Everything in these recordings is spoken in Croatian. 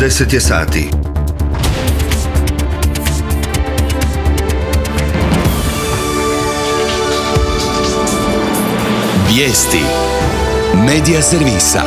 10 je sati. Vijesti Medija servisa.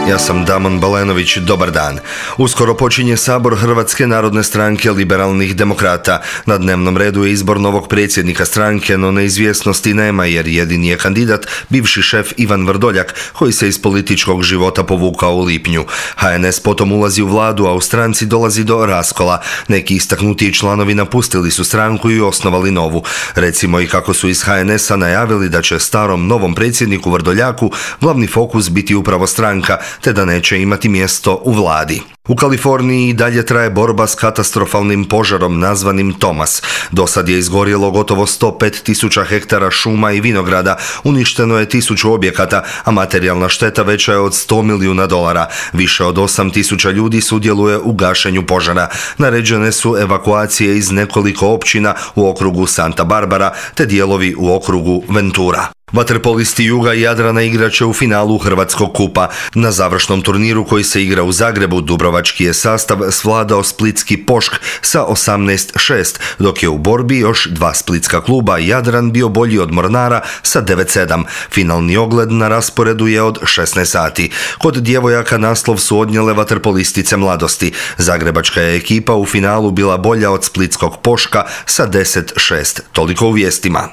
Ja sam Damon Balenović, dobar dan. Uskoro počinje sabor Hrvatske narodne stranke liberalnih demokrata. Na dnevnom redu je izbor novog predsjednika stranke, no neizvjesnosti nema jer jedini je kandidat bivši šef Ivan Vrdoljak, koji se iz političkog života povukao u lipnju. HNS potom ulazi u vladu, a u stranci dolazi do raskola. Neki istaknutiji članovi napustili su stranku i osnovali novu. Recimo i kako su iz HNS-a najavili da će starom novom predsjedniku Vrdoljaku glavni fokus biti upravo stranka, te da neće imati mjesto u vladi. U Kaliforniji i dalje traje borba s katastrofalnim požarom nazvanim Thomas. Do sad je izgorjelo gotovo 105.000 hektara šuma i vinograda, uništeno je 1000 objekata, a materijalna šteta veća je od $100 milijuna. Više od 8.000 ljudi sudjeluje u gašenju požara. Naređene su evakuacije iz nekoliko općina u okrugu Santa Barbara te dijelovi u okrugu Ventura. Vaterpolisti Juga i Jadrana igraće u finalu Hrvatskog kupa. Na završnom turniru koji se igra u Zagrebu, dubrovački je sastav svladao splitski Pošk sa 18-6, dok je u borbi još dva splitska kluba Jadran bio bolji od Mornara sa 9-7. Finalni ogled na rasporedu je od 16 sati. Kod djevojaka naslov su odnijele vaterpolistice Mladosti. Zagrebačka je ekipa u finalu bila bolja od splitskog Poška sa 10-6. Toliko u vijestima.